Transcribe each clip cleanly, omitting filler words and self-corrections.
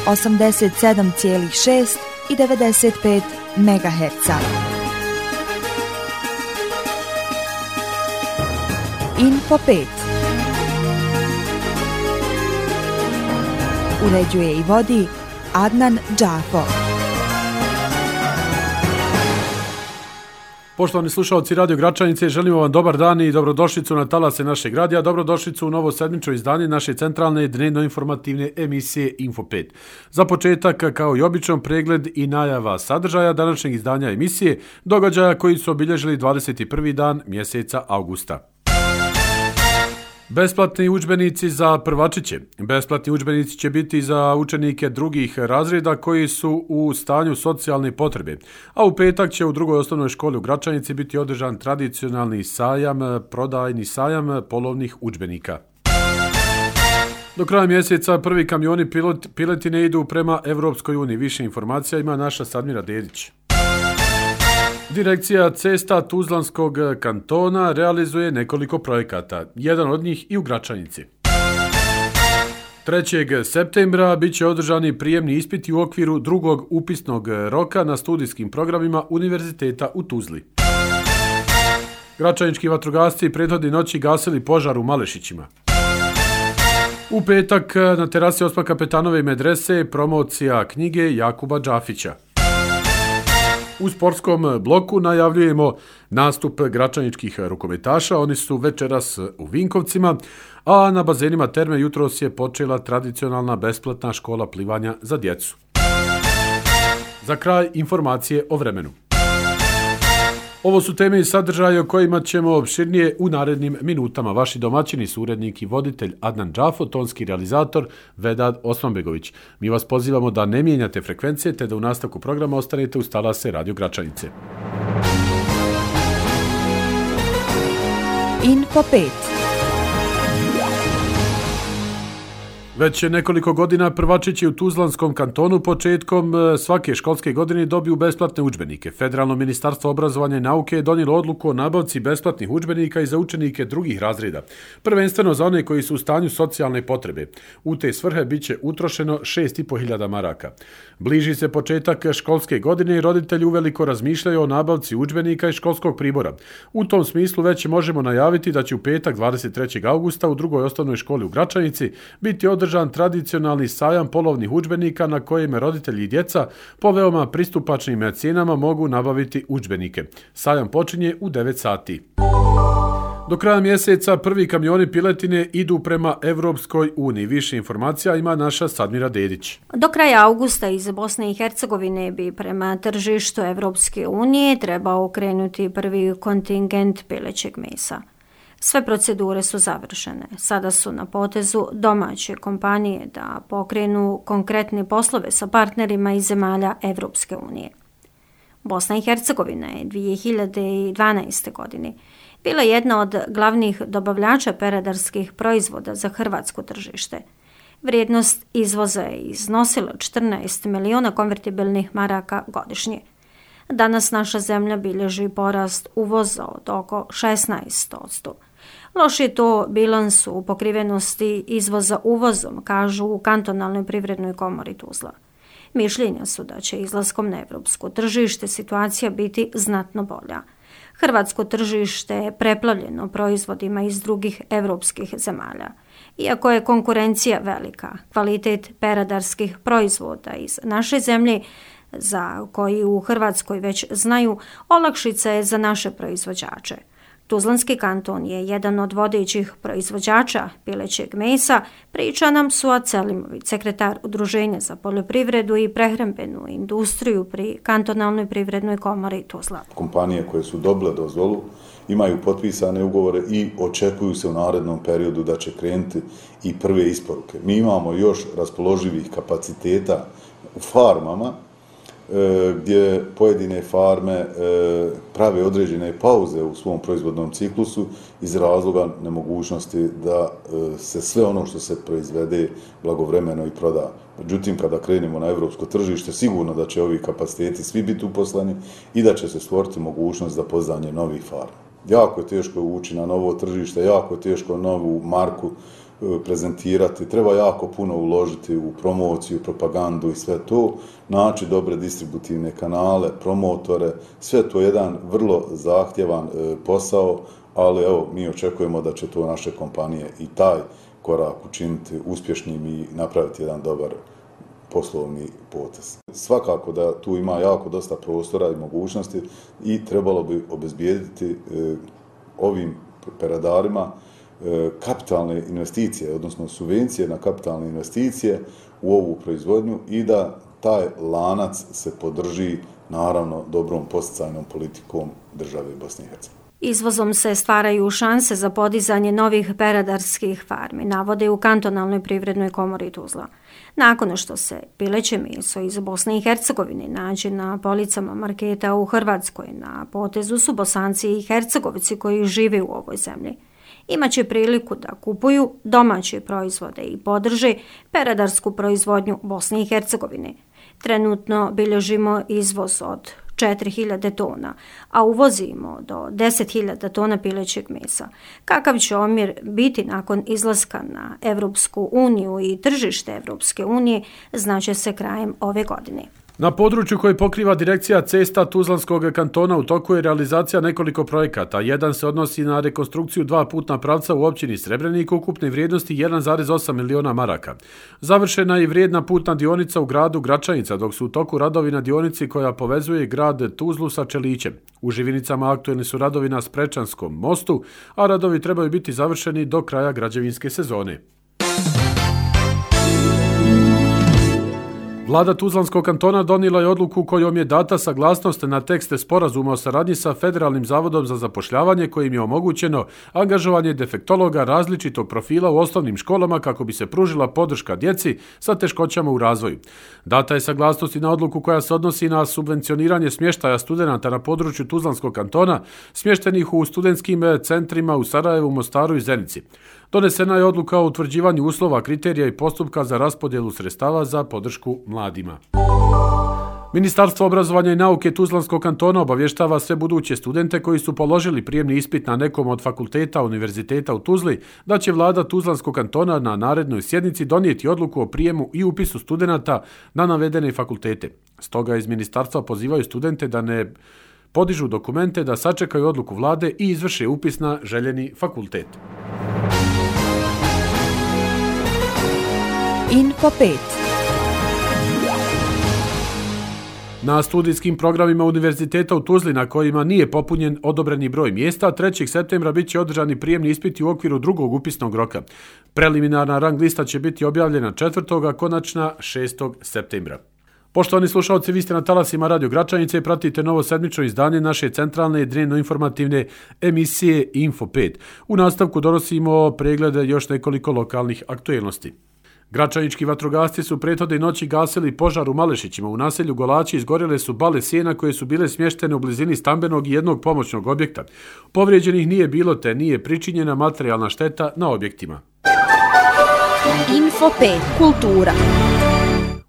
87,6 i 95 MHz. Info 5. Uređuje i vodi Adnan Džafo. Poštovani slušalci Radio Gračanice, želimo vam dobar dan i dobrodošlicu na talase našeg radija, dobrodošlicu u novo sedmično izdanje naše centralne dnevno-informativne emisije Info 5. Za početak, kao i obično, pregled i najava sadržaja današnjeg izdanja emisije, događaja koji su obilježili 21. dan mjeseca augusta. Besplatni udžbenici za prvačiće. Besplatni udžbenici će biti za učenike drugih razreda koji su u stanju socijalne potrebe, a u petak će u drugoj osnovnoj školi u Gračanici biti održan tradicionalni sajam, prodajni sajam polovnih udžbenika. Do kraja mjeseca prvi kamioni piletine idu prema Evropskoj uniji. Više informacija ima naša Sadmira Dedić. Direkcija cesta Tuzlanskog kantona realizuje nekoliko projekata, jedan od njih i u Gračanici. 3. septembra bit će održani prijemni ispiti u okviru drugog upisnog roka na studijskim programima Univerziteta u Tuzli. Gračanički vatrogasci prethodne noći gasili požar u Malešićima. U petak na terasi Osma Kapetanove medrese promocija knjige Jakuba Džafića. U sportskom bloku najavljujemo nastup gračaničkih rukometaša, oni su večeras u Vinkovcima, a na bazenima Terme jutros je počela tradicionalna besplatna škola plivanja za djecu. Za kraj informacije o vremenu. Ovo su teme i sadržaje o kojima ćemo opširnije u narednim minutama. Vaši domaćini su urednik i voditelj Adnan Džafo, tonski realizator Vedad Osmanbegović. Mi vas pozivamo da ne mijenjate frekvencije te da u nastavku programa ostanete uz talase Radio Gračanice. Info 5. Već nekoliko godina prvačići u Tuzlanskom kantonu početkom svake školske godine dobiju besplatne udžbenike. Federalno ministarstvo obrazovanja i nauke je donijelo odluku o nabavci besplatnih udžbenika i za učenike drugih razreda, prvenstveno za one koji su u stanju socijalne potrebe. U te svrhe bit će utrošeno 6.500 maraka. Bliži se početak školske godine i roditelji uveliko razmišljaju o nabavci udžbenika i školskog pribora. U tom smislu već možemo najaviti da će u petak 23. augusta u drugoj osnovnoj školi u Gračanici biti održan tradicionalni sajam polovnih udžbenika na kojem roditelji i djeca po veoma pristupačnim cijenama mogu nabaviti udžbenike. Sajam počinje u 9 sati. Do kraja mjeseca prvi kamioni piletine idu prema Evropskoj uniji. Više informacija ima naša Sadmira Dedić. Do kraja augusta iz Bosne i Hercegovine bi prema tržištu Evropske unije trebao krenuti prvi kontingent pilećeg mesa. Sve procedure su završene. Sada su na potezu domaće kompanije da pokrenu konkretne poslove sa partnerima iz zemalja Evropske unije. Bosna i Hercegovina je 2012. godine bila jedna od glavnih dobavljača peradarskih proizvoda za hrvatsko tržište. Vrijednost izvoza je iznosila 14 miliona konvertibilnih maraka godišnje. Danas naša zemlja bilježi porast uvoza od oko 16%. Loš je to bilans u pokrivenosti izvoza uvozom, kažu u kantonalnoj privrednoj komori Tuzla. Mišljenja su da će izlaskom na evropsko tržište situacija biti znatno bolja. Hrvatsko tržište je preplavljeno proizvodima iz drugih evropskih zemalja. Iako je konkurencija velika, kvalitet peradarskih proizvoda iz naše zemlje, za koji u Hrvatskoj već znaju, olakšica je za naše proizvođače. Tuzlanski kanton je jedan od vodećih proizvođača pilećeg mesa, priča nam Suad Selimović, sekretar Udruženja za poljoprivredu i prehrambenu industriju pri kantonalnoj privrednoj komori Tuzla. Kompanije koje su dobile dozvolu imaju potpisane ugovore i očekuju se u narednom periodu da će krenuti i prve isporuke. Mi imamo još raspoloživih kapaciteta u farmama, gdje pojedine farme prave određene pauze u svom proizvodnom ciklusu iz razloga nemogućnosti da se sve ono što se proizvede blagovremeno i proda. Međutim, kada krenemo na evropsko tržište, sigurno da će ovi kapaciteti svi biti uposleni i da će se stvoriti mogućnost za pozdanje novih farma. Jako je teško ući na novo tržište, jako je teško novu marku prezentirati, treba jako puno uložiti u promociju, propagandu i sve to, naći dobre distributivne kanale, promotore, sve to je jedan vrlo zahtjevan posao, ali evo, mi očekujemo da će to naše kompanije i taj korak učiniti uspješnim i napraviti jedan dobar poslovni potez. Svakako da tu ima jako dosta prostora i mogućnosti i trebalo bi obezbijediti ovim peradarima kapitalne investicije, odnosno subvencije na kapitalne investicije u ovu proizvodnju i da taj lanac se podrži naravno dobrom podsticajnom politikom države Bosne i Hercegovine. Izvozom se stvaraju šanse za podizanje novih peradarskih farmi, navode u kantonalnoj privrednoj komori Tuzla. Nakon što se pileće meso iz Bosne i Hercegovine nađe na policama marketa u Hrvatskoj, na potezu su Bosanci i Hercegovci koji žive u ovoj zemlji. Imaće priliku da kupuju domaće proizvode i podrže peradarsku proizvodnju Bosne i Hercegovine. Trenutno bilježimo izvoz od 4.000 tona, a uvozimo do 10.000 tona pilećeg mesa. Kakav će omjer biti nakon izlaska na Evropsku uniju i tržište Evropske unije, znaće se krajem ove godine. Na području koje pokriva direkcija cesta Tuzlanskog kantona u toku je realizacija nekoliko projekata. Jedan se odnosi na rekonstrukciju 2 putna pravca u općini Srebrenik ukupne vrijednosti 1,8 miliona maraka. Završena je vrijedna putna dionica u gradu Gračanica, dok su u toku radovi na dionici koja povezuje grad Tuzlu sa Čelićem. U Živinicama aktuelni su radovi na Sprečanskom mostu, a radovi trebaju biti završeni do kraja građevinske sezone. Vlada Tuzlanskog kantona donijela je odluku kojom je data saglasnost na tekste sporazuma o saradnji sa Federalnim zavodom za zapošljavanje kojim je omogućeno angažovanje defektologa različitog profila u osnovnim školama kako bi se pružila podrška djeci sa teškoćama u razvoju. Data je saglasnost i na odluku koja se odnosi na subvencioniranje smještaja studenata na području Tuzlanskog kantona, smještenih u studentskim centrima u Sarajevu, Mostaru i Zenici. Donesena je odluka o utvrđivanju uslova, kriterija i postupka za raspodjelu sredstava za podršku mladima. Ministarstvo obrazovanja i nauke Tuzlanskog kantona obavještava sve buduće studente koji su položili prijemni ispit na nekom od fakulteta univerziteta u Tuzli da će vlada Tuzlanskog kantona na narednoj sjednici donijeti odluku o prijemu i upisu studenata na navedene fakultete. Stoga iz ministarstva pozivaju studente da ne podižu dokumente, da sačekaju odluku vlade i izvrše upis na željeni fakultet. Info 5. Na studijskim programima univerziteta u Tuzli na kojima nije popunjen odobreni broj mjesta, 3. septembra bit će održani prijemni ispiti u okviru drugog upisnog roka. Preliminarna rang lista će biti objavljena 4. a konačna 6. septembra. Poštovani slušalci, vi ste na talasima Radio Gračanice i pratite novo sedmično izdanje naše centralne i dnevno-informativne emisije Info 5. U nastavku donosimo preglede još nekoliko lokalnih aktuelnosti. Gračanički vatrogasci su prethodne noći gasili požar u Malešićima. U naselju Golači izgorjele su bale sjena koje su bile smještene u blizini stambenog i jednog pomoćnog objekta. Povrijeđenih nije bilo te nije pričinjena materijalna šteta na objektima. Info 5. Kultura.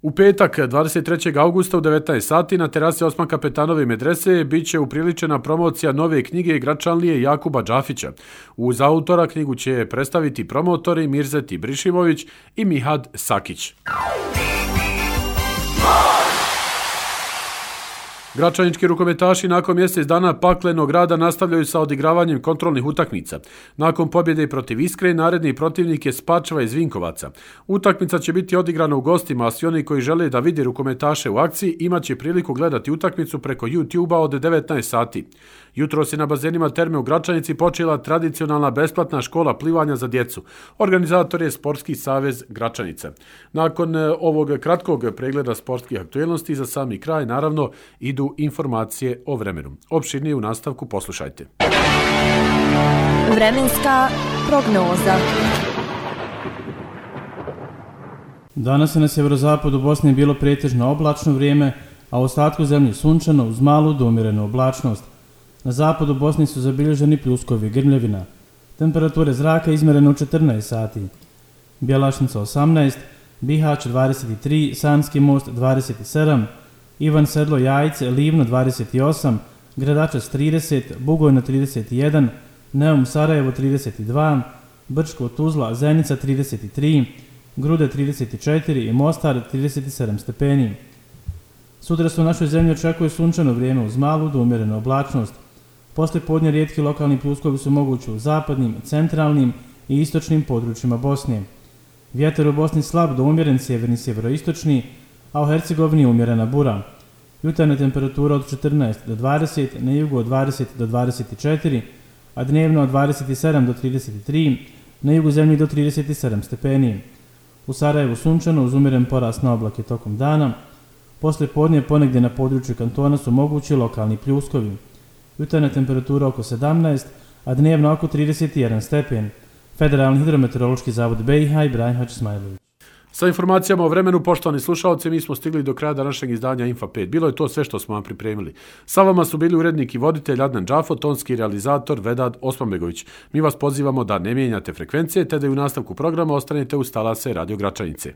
U petak, 23. augusta u 19 sati na terasi Osman Kapetanove medrese bit će upriličena promocija nove knjige Gračanlije Jakuba Džafića. Uz autora knjigu će predstaviti promotori Mirzet Ibrišimović i Mihad Sakić. Gračanički rukometaši nakon mjesec dana paklenog rada nastavljaju sa odigravanjem kontrolnih utakmica. Nakon pobjede protiv Iskre, naredni protivnik je Spačva iz Vinkovaca. Utakmica će biti odigrana u gostima, a svi oni koji žele da vide rukometaše u akciji imaće priliku gledati utakmicu preko YouTube-a od 19 sati. Jutros je na bazenima Terme u Gračanici počela tradicionalna besplatna škola plivanja za djecu. Organizator je Sportski savez Gračanica. Nakon ovog kratkog pregleda sportskih aktuelnosti za sami kraj, naravno, idu informacije o vremenu. Opširnije u nastavku poslušajte. Vremenska prognoza. Danas je na sjeverozapadu Bosne bilo pretežno oblačno vrijeme, a u ostatku zemlje sunčano uz malu do umjerenu oblačnost. Na zapadu Bosne su zabilježeni pljuskovi grmljevina. Temperature zraka izmjerene u 14 sati. Bjelašnica 18, Bihać 23, Sanski most 27, Ivan Sedlo Jajce, Livno 28, Gradačac 30, Bugojno 31, Neum Sarajevo 32, Brčko, Tuzla, Zenica 33, Grude 34 i Mostar 37 stepeni. Sutra se u našoj zemlji očekuje sunčano vrijeme uz malu do umjerenu oblačnost. Poslije podne rijetki lokalni pljuskovi su mogući u zapadnim, centralnim i istočnim područjima Bosne. Vjetar u Bosni slab do umjeren sjeverni sjeveroistočni, a u Hercegovini umjerena bura. Jutarnja temperatura od 14 do 20, na jugu od 20 do 24, a dnevno od 27 do 33, na jugu zemlji do 37 stepeni. U Sarajevu sunčano uz umjeren porast na oblake tokom dana. Poslije podne ponegdje na području kantona su mogući lokalni pljuskovi. Jutarnja temperatura oko 17, a dnevno oko 31 stepen. Federalni hidrometeorološki zavod BiH Ibrahim Hadžismajlović. Sa informacijama o vremenu, poštovani slušalci, mi smo stigli do kraja današnjeg izdanja Infa 5. Bilo je to sve što smo vam pripremili. Sa vama su bili urednik i voditelj Adnan Džafo, tonski realizator Vedad Osmanbegović. Mi vas pozivamo da ne mijenjate frekvencije, te da i u nastavku programa ostanete uz talase Radio Gračanice.